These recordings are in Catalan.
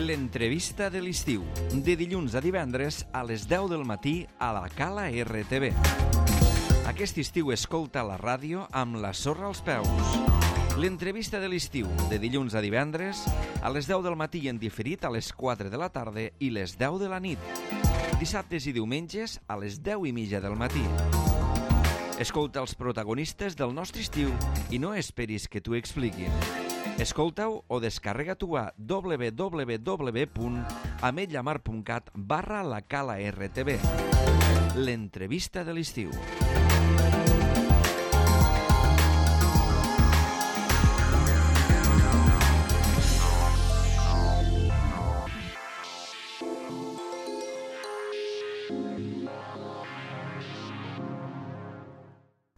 L'entrevista de l'estiu, de dilluns a divendres a les 10 del matí a la Cala RTV. Aquest estiu escolta la ràdio amb la sorra als peus. L'entrevista de l'estiu, de dilluns a divendres a les 10 del matí en diferit a les 4 de la tarda i les 10 de la nit. Dissabtes i diumenges a les 10:30 del matí. Escolta els protagonistes del nostre estiu i no esperis que t'ho expliquin. Escolta-ho o descarrega-t'ho a www.ametlllamar.cat/la Cala RTV. L'entrevista de l'estiu.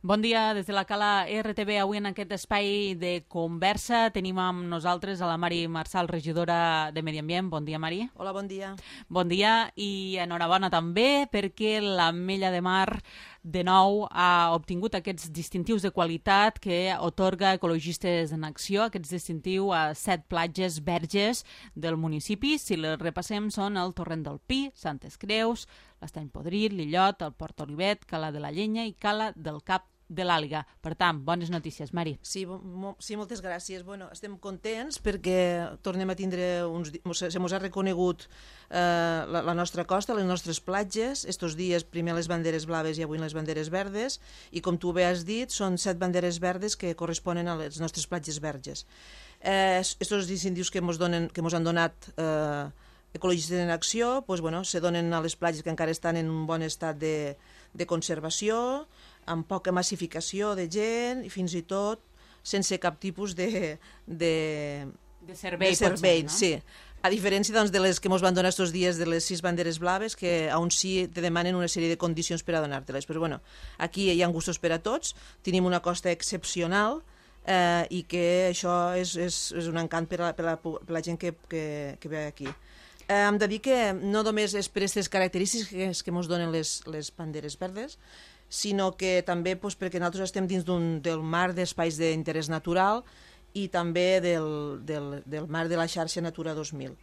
Bon dia des de la Cala RTV. Avui en aquest espai de conversa tenim amb nosaltres a la Mari Marçal, regidora de Medi Ambient. Bon dia, Mari. Hola, bon dia. Bon dia i enhorabona també perquè l'Ametlla de Mar de nou ha obtingut aquests distintius de qualitat que otorga Ecologistes en Acció, aquests distintius a 7 platges verges del municipi. Si les repassem són el Torrent del Pi, Santes Creus, l'Estany Podrit, l'Illot, el Port Olivet, Cala de la Llenya i Cala del Cap de l'Àliga. Per tant, bones notícies, Mari. Sí, moltes gràcies. Bueno, estem contents perquè tornem a tindre se mos ha reconegut la nostra costa, les nostres platges. Estos dies primer les banderes blaves i avui les banderes verdes, i com tu bé has dit, són 7 banderes verdes que corresponen a les nostres platges verges. Estos distintius que mos han donat Ecologistes en Acció, pues, bueno, se donen a les platges que encara estan en un bon estat de conservació, amb poca massificació de gent i fins i tot sense cap tipus de servei, potser, no? No? Sí. A diferència doncs, de les que ens van donar aquests dies de les 6 banderes blaves, que aún sí te demanen una sèrie de condicions per a donar-te-les. Però bueno, aquí hi ha gustos per a tots, tenim una costa excepcional i que això és un encant per a la gent que ve aquí. Hem de dir que no només és per aquestes característiques que ens donen les banderes verdes, sinó que també perquè nosaltres estem dins del mar d'espais d'interès natural i també del mar de la xarxa Natura 2000.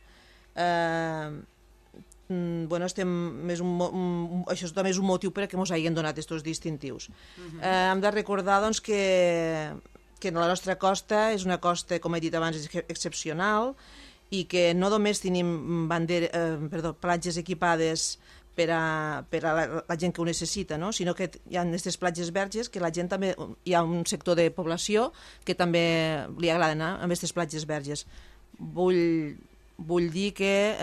Això també és un motiu per a que ens hagin donat aquests distintius. Hem de recordar doncs, que la nostra costa és una costa, com he dit abans, excepcional, i que no només tenim platges equipades per a la gent que ho necessita, no? Sinó que hi ha aquestes platges verges que la gent també, hi ha un sector de població que també li agrada anar a aquestes platges verges. Vull dir que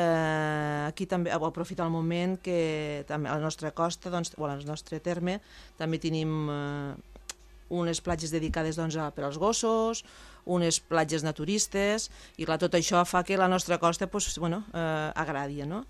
aquí també aprofitar el moment que també a la nostra costa, doncs, o al nostre terme, també tenim unes platges dedicades per als gossos, unes platges naturistes, i clar, tot això fa que la nostra costa agradi, no?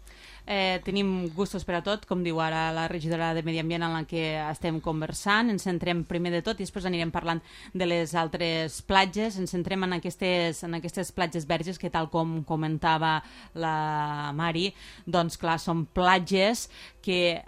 Tenim gustos per a tot, com diu ara la regidora de Medi Ambient en la que estem conversant. Ens centrem primer de tot i després anirem parlant de les altres platges. Ens centrem en aquestes platges verges que, tal com comentava la Mari, doncs clar, són platges que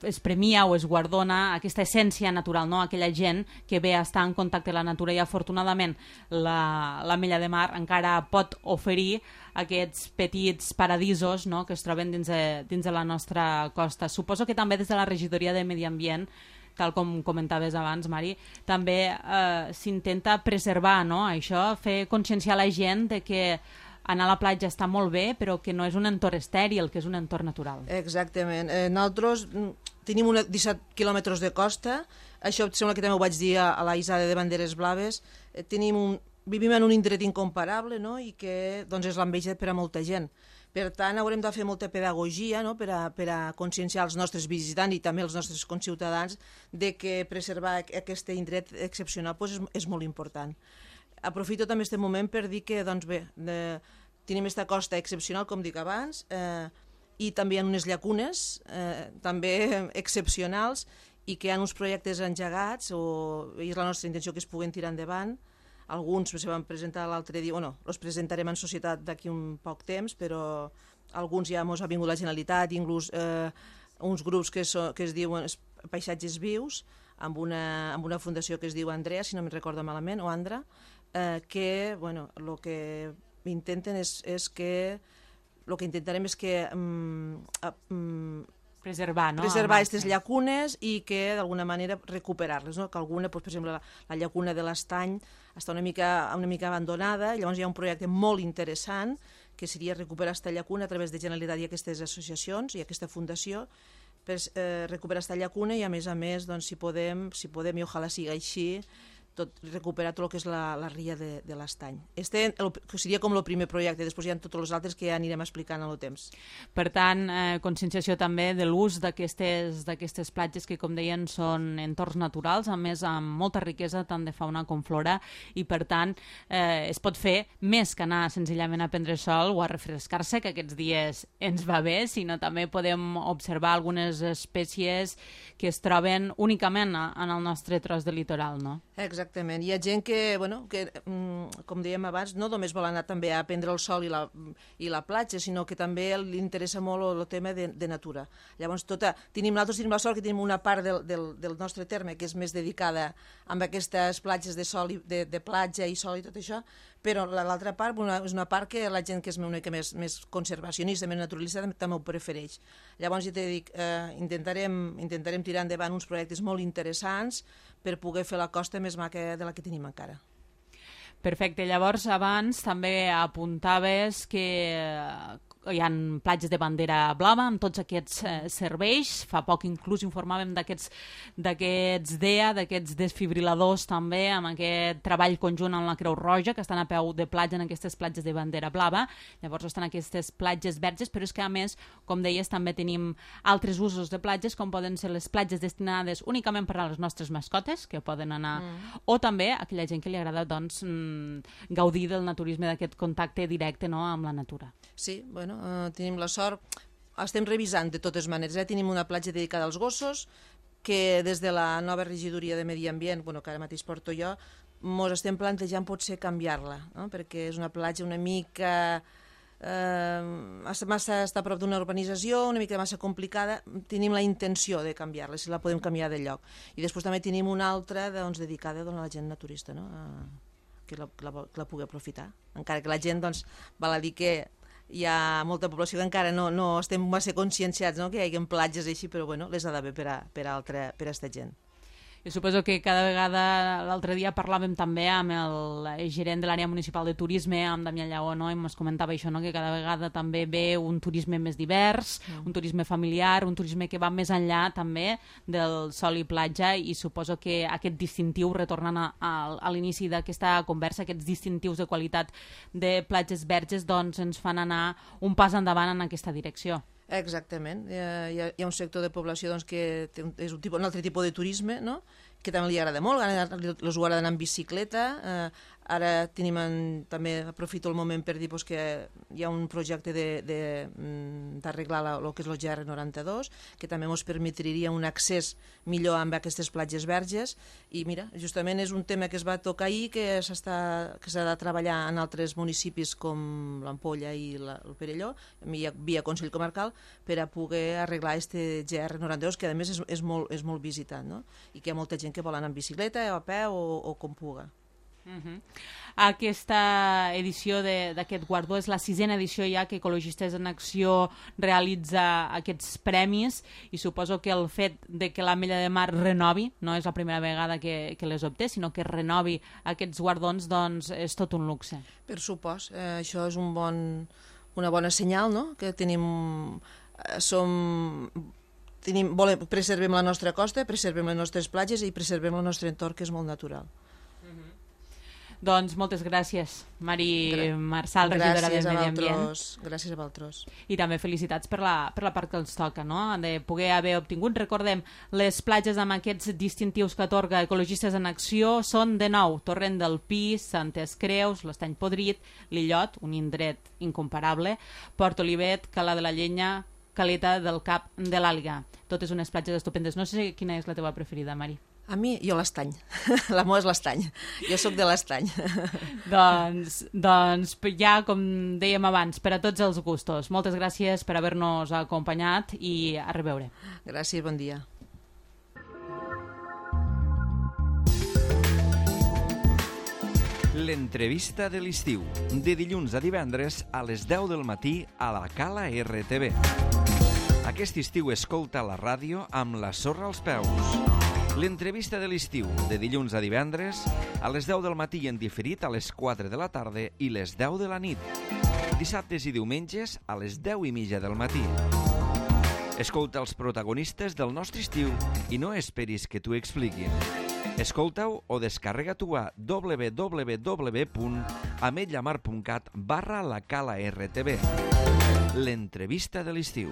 es premia o es guardona aquesta essència natural, no? Aquella gent que ve a estar en contacte amb la natura, i afortunadament l'Ametlla de Mar encara pot oferir aquests petits paradisos, no?, que es troben dins de la nostra costa. Suposo que també des de la regidoria de Medi Ambient, tal com comentaves abans, Mari, també s'intenta preservar, no?, això, fer conscienciar la gent de que anar a la platja està molt bé, però que no és un entorn estèril, que és un entorn natural. Exactament. Nosaltres tenim 17 quilòmetres de costa, això sembla que també ho vaig dir a la Isada de Banderes Blaves, vivim en un indret incomparable, no?, i que doncs, és l'enveja per a molta gent. Per tant, haurem de fer molta pedagogia, no?, per a conscienciar els nostres visitants i també els nostres conciutadans de que preservar aquest indret excepcional és molt important. Aprofito també aquest moment per dir que doncs, tenim aquesta costa excepcional, com dic abans, i també hi ha unes llacunes també excepcionals, i que hi ha uns projectes engegats, i és la nostra intenció que es puguen tirar endavant. Alguns se van presentar l'altre dia, els presentarem en societat d'aquí un poc temps, però alguns ja ens ha vingut la Generalitat, inclús uns grups que es diuen Paisatges Vius, amb una fundació que es diu Andrea, si no me'n recordo malament, o Andra, que el que intenten és que... El que intentarem és que... preservar, no? Preservar aquestes llacunes i que d'alguna manera recuperar-les, no? Que alguna, per exemple, la llacuna de l'Estany està una mica abandonada, i llavors hi ha un projecte molt interessant que seria recuperar aquesta llacuna a través de Generalitat i aquestes associacions i aquesta fundació per recuperar aquesta llacuna i a més, doncs, si podem, i ojalà sigui així, recuperar tot el que és la ria de l'Estany. Seria com el primer projecte, després hi ha tots els altres que ja anirem explicant en el temps. Per tant, conscienciació també de l'ús d'aquestes platges que, com deien, són entorns naturals, a més amb molta riquesa tant de fauna com flora, i per tant es pot fer més que anar senzillament a prendre sol o a refrescar-se, que aquests dies ens va bé, sinó també podem observar algunes espècies que es troben únicament en el nostre tros de litoral, no? Exactament. Hi ha gent que, com dèiem abans, no només vol anar també a prendre el sol i la platja, sinó que també li interessa molt el tema de natura. Llavors, nosaltres tenim la sort que tenim una part del nostre terme que és més dedicada a aquestes platges de sol, de platja i sol i tot això, però l'altra part és una part que la gent que és una mica més conservacionista, més naturalista, també ho prefereix. Llavors, ja t'he dit, intentarem tirar endavant uns projectes molt interessants per poder fer la costa més maca de la que tenim encara. Perfecte. Llavors, abans també apuntaves que hi ha platges de bandera blava amb tots aquests serveis. Fa poc inclús informàvem d'aquests DEA, d'aquests desfibriladors també, amb aquest treball conjunt amb la Creu Roja, que estan a peu de platja en aquestes platges de bandera blava. Llavors estan aquestes platges verges, però és que a més, com deies, també tenim altres usos de platges, com poden ser les platges destinades únicament per a les nostres mascotes, que poden anar, o també a aquella gent que li agrada gaudir del naturisme, d'aquest contacte directe, no, amb la natura. Sí, tenim la sort, estem revisant de totes maneres, tenim una platja dedicada als gossos que des de la nova regidoria de Medi Ambient, que ara mateix porto jo, ens estem plantejant potser canviar-la, no? Perquè és una platja una mica massa està a prop d'una urbanització, una mica massa complicada. Tenim la intenció de canviar-la, si la podem canviar de lloc. I després també tenim una altra dedicada a la gent naturista, no? Que la pugui aprofitar, encara que la gent val a dir que hi ha molta població que encara no estem massa conscienciats, no? Que hi hagi platges així, però les ha d'haver per a aquesta gent. Jo suposo que cada vegada, l'altre dia parlàvem també amb el gerent de l'àrea municipal de turisme, amb Damià Lleó, no? I ens comentava això, no? Que cada vegada també ve un turisme més divers, un turisme familiar, un turisme que va més enllà també del sol i platja, i suposo que aquest distintiu, retornant a l'inici d'aquesta conversa, aquests distintius de qualitat de platges verges, ens fan anar un pas endavant en aquesta direcció. Exactament. Hi ha un sector de població que és un altre tipus de turisme, no? Que també li agrada molt, els ho agrada anar en bicicleta. Ara també aprofito el moment per dir que hi ha un projecte d'arreglar el que és el GR92, que també ens permetria un accés millor amb aquestes platges verges, i mira, justament és un tema que es va tocar ahir, que s'ha de treballar en altres municipis com l'Ampolla i el Perelló, via Consell Comarcal, per a poder arreglar aquest GR92, que a més és molt visitat, no? I que hi ha molta gent que vol anar en bicicleta o a peu o com puga. Aquesta edició d'aquest guardó és la 6a edició ja que Ecologistes en Acció realitza aquests premis, i suposo que el fet de que l'Ametlla de Mar renovi, no és la primera vegada que les obté, sinó que renovi aquests guardons, és tot un luxe. Per supost, això és una bona senyal, no? Que preservem la nostra costa, preservem les nostres platges i preservem el nostre entorn, que és molt natural. Doncs moltes gràcies, Mari Marçal, regidora de Medi Ambient. Gràcies a vosaltres. I també felicitats per la part que els toca, no? De poder haver obtingut. Recordem, les platges amb aquests distintius que atorga Ecologistes en Acció són de nou Torrent del Pi, Santes Creus, l'Estany Podrit, l'Illot, un indret incomparable, Port Olivet, Cala de la Llenya, Caleta del Cap de l'Àliga. Totes unes platges estupendes. No sé quina és la teva preferida, Mari. A mi, jo l'Estany. La meva és l'Estany. Jo sóc de l'Estany. Doncs ja, com dèiem abans, per a tots els gustos. Moltes gràcies per haver-nos acompanyat i a reveure. Gràcies, bon dia. L'entrevista de l'estiu, de dilluns a divendres a les 10 del matí a la Cala RTV. Aquest estiu escolta la ràdio amb la sorra als peus. L'entrevista de l'estiu, de dilluns a divendres a les 10 del matí i en diferit a les 4 de la tarda i les 10 de la nit. Dissabtes i diumenges a les 10:30 del matí. Escolta els protagonistes del nostre estiu i no esperis que t'ho expliquin. Escolta-ho o descarrega-t'ho a www.ametlllamar.cat/la Cala RTV. L'entrevista de l'estiu.